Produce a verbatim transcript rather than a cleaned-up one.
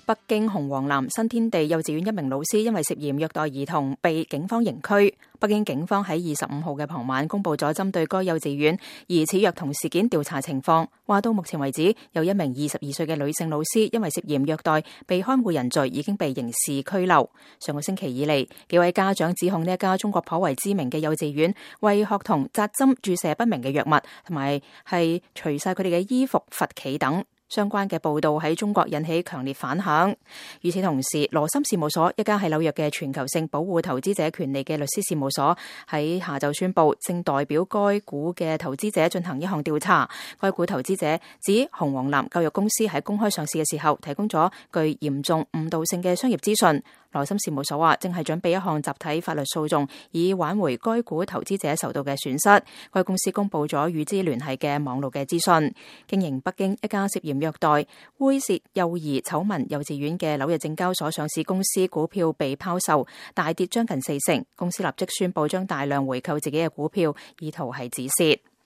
北京紅黃藍新天地幼稚園一名老師因為涉嫌虐待兒童被警方刑拘。北京警方喺二十五號嘅傍晚公布咗針對該幼稚園疑似虐童事件調查情況，話到目前為止有一名二十二歲嘅女性老師因為涉嫌虐待被看護人罪已經被刑事拘留。上個星期以嚟，幾位家長指控呢一家中國頗為知名嘅幼稚園為學童扎針注射不明嘅藥物，同埋係除晒佢哋嘅衣服罰企等。相關嘅報道喺中國引起強烈反響。與此同時，羅森事務所一家喺紐約嘅全球性保護投資者權利嘅律師事務所喺下晝宣布，正代表該股嘅投資者進行一項調查。該股投資者指紅黃藍教育公司喺公開上市嘅時候提供咗具嚴重誤導性嘅商業資訊。羅森事務所話正係準備一項集體法律訴訟，以挽回該股投資者受到嘅損失。該公司公布咗與之聯繫嘅網絡嘅資訊。經營北京一家涉嫌虐待、猥褻幼兒醜聞幼稚園嘅紐約證交所上市公司股票被拋售，大跌將近四成。公司立即宣布將大量回購自己嘅股票，意圖係止蝕。